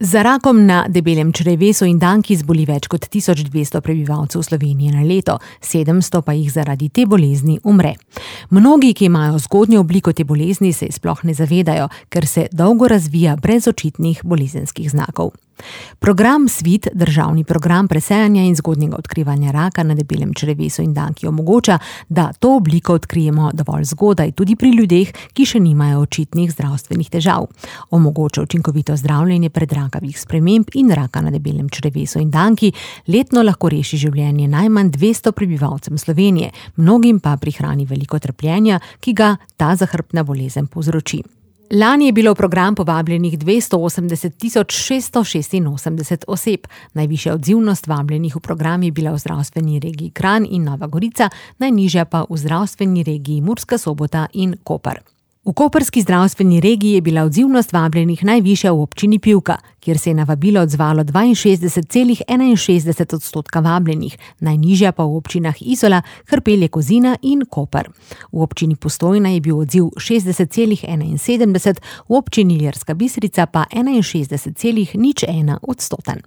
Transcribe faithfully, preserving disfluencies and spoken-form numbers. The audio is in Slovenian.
Za rakom na debelem črevesu in danki zboli več kot tisoč dvesto prebivalcev Slovenije na leto, sedemsto pa jih zaradi te bolezni umre. Mnogi, ki imajo zgodnjo obliko te bolezni, se sploh ne zavedajo, ker se dolgo razvija brez očitnih bolezenskih znakov. Program SVIT, državni program presejanja in zgodnjega odkrivanja raka na debelem črevesu in danki, omogoča, da to obliko odkrijemo dovolj zgodaj tudi pri ljudeh, ki še nimajo očitnih zdravstvenih težav. Omogoča učinkovito zdravljenje pred rakavih sprememb in raka na debelem črevesu in danki, letno lahko reši življenje najmanj dvesto prebivalcem Slovenije, mnogim pa prihrani veliko trpljenja, ki ga ta zahrbtna bolezen povzroči. Lani je bilo v program povabljenih dvesto osemdeset tisoč šeststo šestinosemdeset oseb. Najvišja odzivnost vabljenih v program je bila v zdravstveni regiji Kranj in Nova Gorica, najnižja pa v zdravstveni regiji Murska Sobota in Koper. V koprski zdravstveni regiji je bila odzivnost vabljenih najvišja v občini Pivka, kjer se je na vabilo odzvalo dvainšestdeset celih enainšestdeset odstotka vabljenih, najnižja pa v občinah Izola, Hrpelje, Kozina in Koper. V občini Postojna je bil odziv šestdeset celih enainsedemdeset, v občini Ilirska Bistrica pa enainšestdeset celih nič ena odstoten.